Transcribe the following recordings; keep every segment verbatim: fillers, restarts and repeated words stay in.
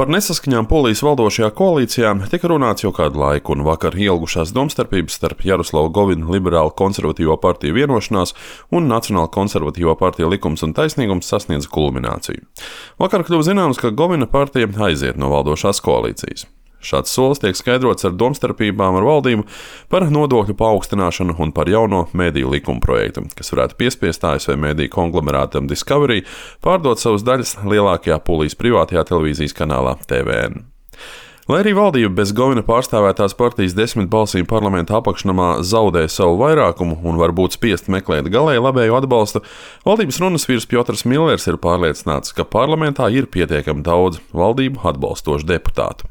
Par nesaskaņām Polijas valdošajā koalīcijā tika runāts jau kādu laiku, un vakar ilgušās domstarpības starp Jaroslavu Govinu liberālu konservatīvo partiju Vienošanās un Nacionālo konservatīvo partiju Likums un taisnīgums sasniedza kulmināciju. Vakar kļuva zināms, ka Govina partija aiziet no valdošās koalīcijas. Šāds solis tiek skaidrots ar domstarpībām ar valdību par nodokļu paaugstināšanu un par jauno mediju likuma projektu, kas varētu piespiest A S V mediju konglomerātam Discovery pārdot savas daļas lielākajā Polijas privātajā televīzijas kanālā T V N. Lai arī valdība bez Govina pārstāvētās partijas desmit balsīm parlamenta apakšnamā zaudē savu vairākumu un var būt spiest meklēt galēji labēju atbalstu, valdības runas vīrs Piotrs Millers ir pārliecināts, ka parlamentā ir pietiekami daudz valdību atbalstošu deputātu.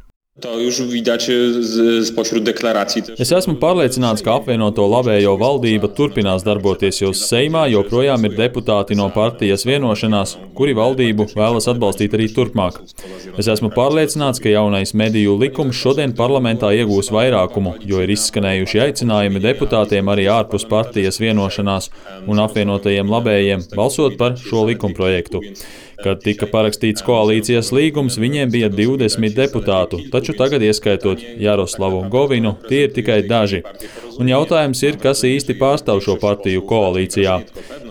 Es esmu pārliecināts, ka apvienoto labējo valdība turpinās darboties, jo Seimā joprojām ir deputāti no partijas Vienošanās, kuri valdību vēlas atbalstīt arī turpmāk. Es esmu pārliecināts, ka jaunais mediju likums šodien parlamentā iegūs vairākumu, jo ir izskanējuši aicinājumi deputātiem arī ārpus partijas Vienošanās un apvienotajiem labējiem balsot par šo likumprojektu. Kad tika parakstīts koalīcijas līgums, viņiem bija divdesmit deputātu, taču tagad, ieskaitot Jaroslavu Govinu, tie ir tikai daži. Un jautājums ir, kas īsti pārstāv šo partiju koalīcijā.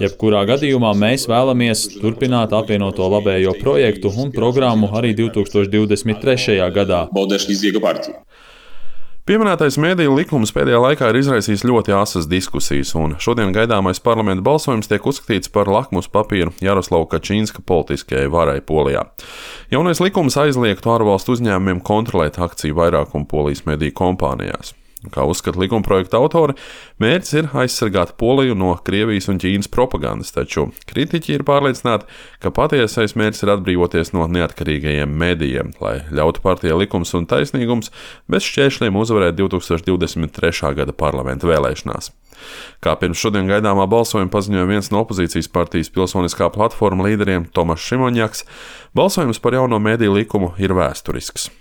Jebkurā gadījumā mēs vēlamies turpināt apvienoto labējo projektu un programmu arī divi tūkstoši divdesmit trešajā gadā. Pieminētais mediju likums pēdējā laikā ir izraisījis ļoti asas diskusijas, un šodien gaidāmais parlamenta balsojums tiek uzskatīts par lakmus papīru Jaroslava Kačinska politiskajai varai Polijā. Jaunais likums aizliegtu ārvalstu uzņēmumiem kontrolēt akciju vairākumu Polijas mediju kompānijās. Kā uzskata likumprojekta autori, mērķis ir aizsargāt Poliju no Krievijas un Ķīnas propagandas, taču kritiķi ir pārliecināti, ka patiesais mērķis ir atbrīvoties no neatkarīgajiem medijiem, lai ļautu partijai Likums un taisnīgums bez šķēršļiem uzvarēt divi tūkstoši divdesmit trešā gada parlamenta vēlēšanās. Kā pirms šodien gaidāmā balsojuma paziņoja viens no opozīcijas partijas Pilsoniskā platforma līderiem Tomašs Šimonjaks, balsojums par jauno mediju likumu ir vēsturisks.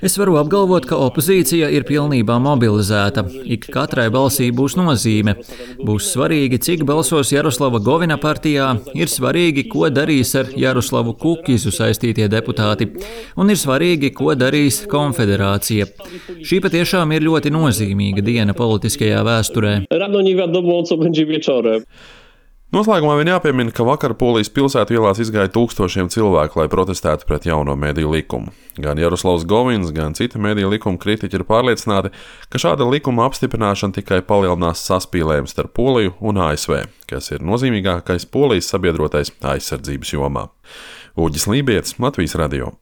Es varu apgalvot, ka opozīcija ir pilnībā mobilizēta. Ik katrai balsī būs nozīme. Būs svarīgi, cik balsos Jaroslava Govina partijā, ir svarīgi, ko darīs ar Jaroslavu Kukizu saistītie deputāti, un ir svarīgi, ko darīs konfederācija. Šī patiešām ir ļoti nozīmīga diena politiskajā vēsturē. Noslēgumā vien jāpiemina, ka vakar Polijas pilsētu ielās izgāja tūkstošiem cilvēku, lai protestētu pret jauno mediju likumu. Gan Jaroslavs Govins, gan citi mediju likuma kritiķi ir pārliecināti, ka šāda likuma apstiprināšana tikai palielinās saspīlējumu starp Poliju un A S V, kas ir nozīmīgākais Polijas sabiedrotais aizsardzības jomā. Uģis Lībietis, Latvijas radio.